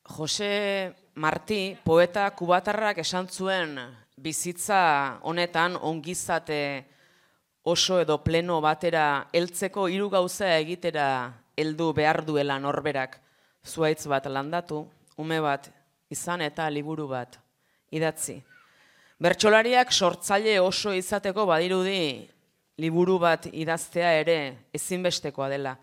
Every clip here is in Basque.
Jose Martí, poeta kubatarrak esan zuen bizitza honetan ongizate oso edo pleno batera heltzeko 3 gauza egitera heldu behar duela norberak. Zuhaitz bat landatu, ume bat izan eta liburu bat idatzi. Bertsolariak sortzaile oso izateko badirudi liburu bat idaztea ere ezinbestekoa dela.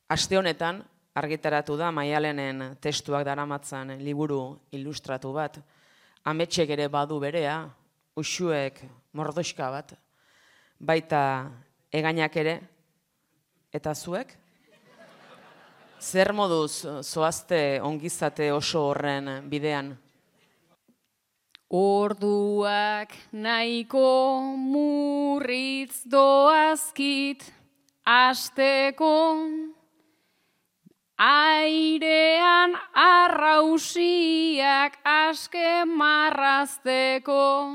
Aste honetan argitaratu da Maialenen testuak daramatzan liburu ilustratu bat. Ametsek ere badu berea, Uxuek mordoxka bat, baita Egainak ere, eta zuek? Zer moduz zoazte ongizate oso horren bidean? Orduak nahiko murritz doazkit asteko, airean arrausiak aske marrazteko,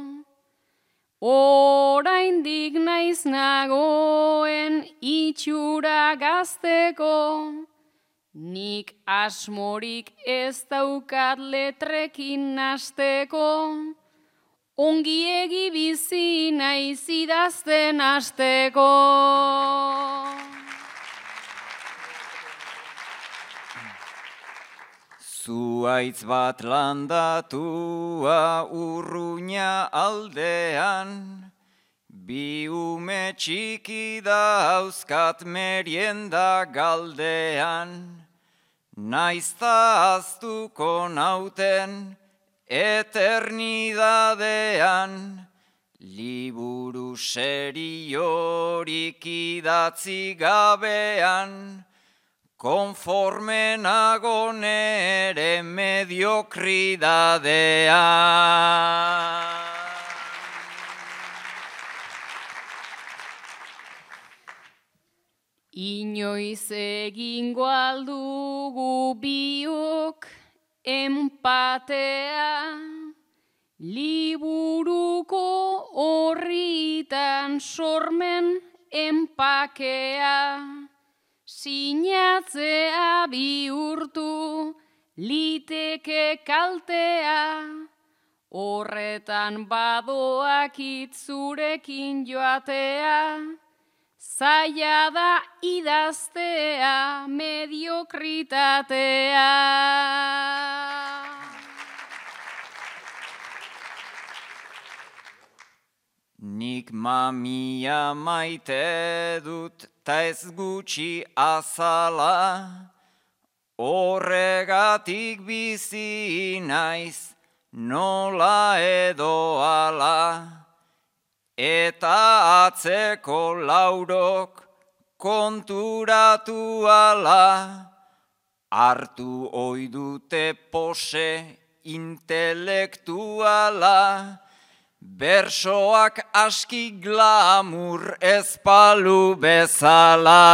oraindik naiz nagoen itxura gazteko, nik asmorik ez daukat letrekin nasteko, ongiegi bizi naiz idazten hasteko. Zuhaitz bat landatua Urruña aldean, bi ume txiki dauzkat merienda galdean, naizta aztuko nauten eternidadean, liburu seriorik idatzi gabean, konforme nago nere mediokridadean. Inoiz egingo aldugu biok enpatea, liburuko horritan sormen enpakea, sinatzea bihurtu liteke kaltea, horretan badoak itzurekin joatea, zaila da idaztea mediokritatea. Nik mamia maite dut ta ez gutxi azala, horregatik bizi naiz nola edo ala, eta atzeko laurok konturatu ala, hartu oidute pose intelektuala, bersoak aski glamur ezpalu bezala.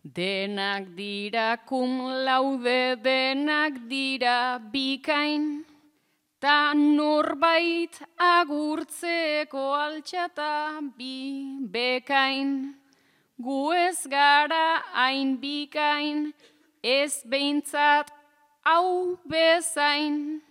Denak dira cum laude, denak dira bikain, ta norbait agurtzeko altxata bi bekain. Gu ez gara hain bikain, ez behintzat hau bezain.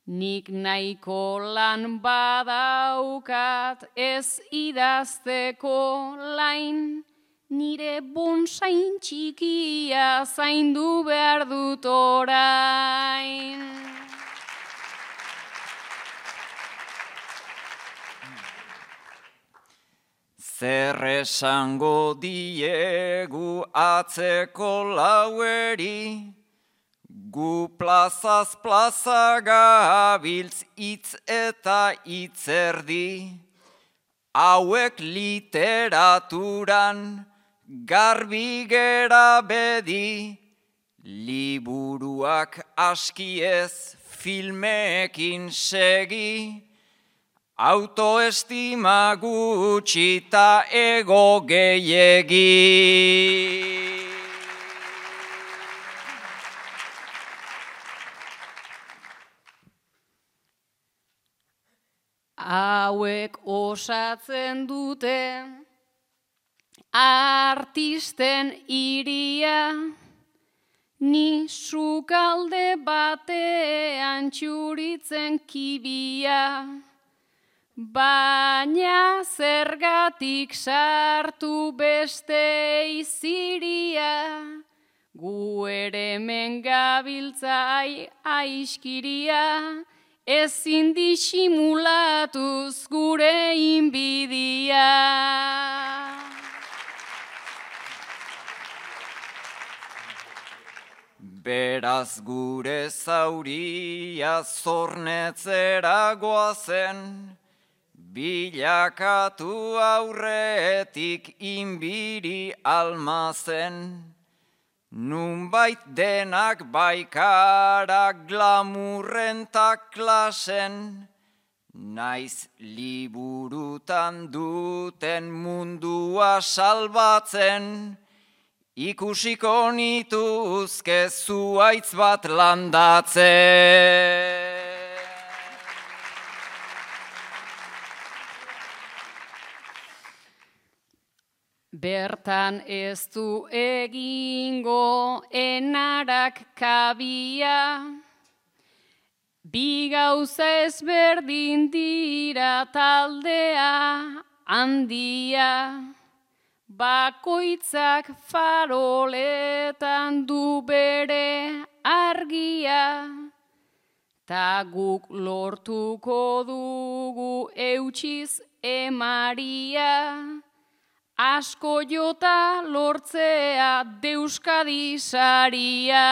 Nik nahiko lan badaukat ez idazteko lain, nire bonsain txikia zaindu behar dut orain. Zer esango diegu atzeko laueri, gu plazaz plaza gabiltz hitz eta hitzerdi, hauek literaturan garbi gera bedi, liburuak aski ez filmeekin segi, autoestima gutxi ta ego gehiegi. Hauek osatzen dute artisten iria, ni sukalde batean txuritzen kibia, baina zergatik sartu beste iziria, gu ere hemen gabiltzai aiskiria, ezin disimulatuz gure inbidia. Beraz gure zauria zornetzera goazen, bilakatu aurretik inbiri almazen. Nunbait denak baikarak glamurren ta klasen, naiz liburutan duten mundua salbatzen, ikusiko nituzke zuaitz bat landatzen. Bertan ez du egingo enarak kabia, bi gauza ezberdin dira taldea handia, bakoitzak faroletan du bere argia, ta guk lortuko dugu eutsiz emaria, asko jota lortzea Deuskadi saria.